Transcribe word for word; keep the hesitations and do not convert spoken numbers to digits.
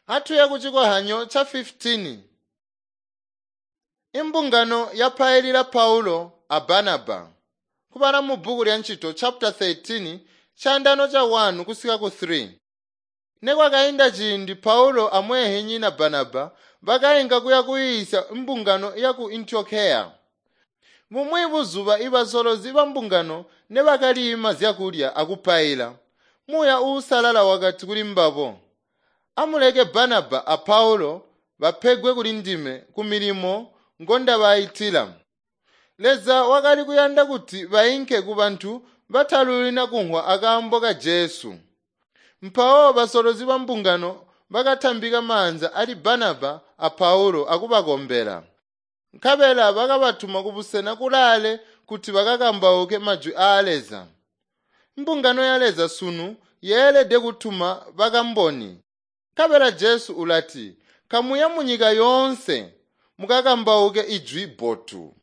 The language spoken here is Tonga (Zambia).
Atuye kucikohanyo ca fifitini. Imbungano yapailila Paulo a Barnaba. Kubala mu bbuku lya Ncito chapter thirteen chandano cha one kusika ku three. Nekwakainda ciindi Paulo amwehenyina Barnaba bakainka kuya kuyiisya imbungano ya ku Antiokeya. Bumwi buzuba ibasolozi ba mbungano nebakaliima zyakulya akupaila, Muuya Uusalala wakati kuli mbabo, "Amuleke Barnaba a Paulo bapegwe kuli ndime ku milimo ngondabaitila." Leza wakali kuyanda kuti bainke ku bantu batalulina kunhwa akaambo ka Jesu. Mpawo basolozi ba mbungano bakatambika maanza ali Barnaba a Paulo akubakombela. Nkabela bakabatuma kubusena kulaale kuti bakakambauke majwi aa Leza. Mbungano ya Leza sunu yeelede kutuma bakamboni. Nkabela Jesu ulati, "Kamuya munyika yoonse mukakambauke ijwi bbotu."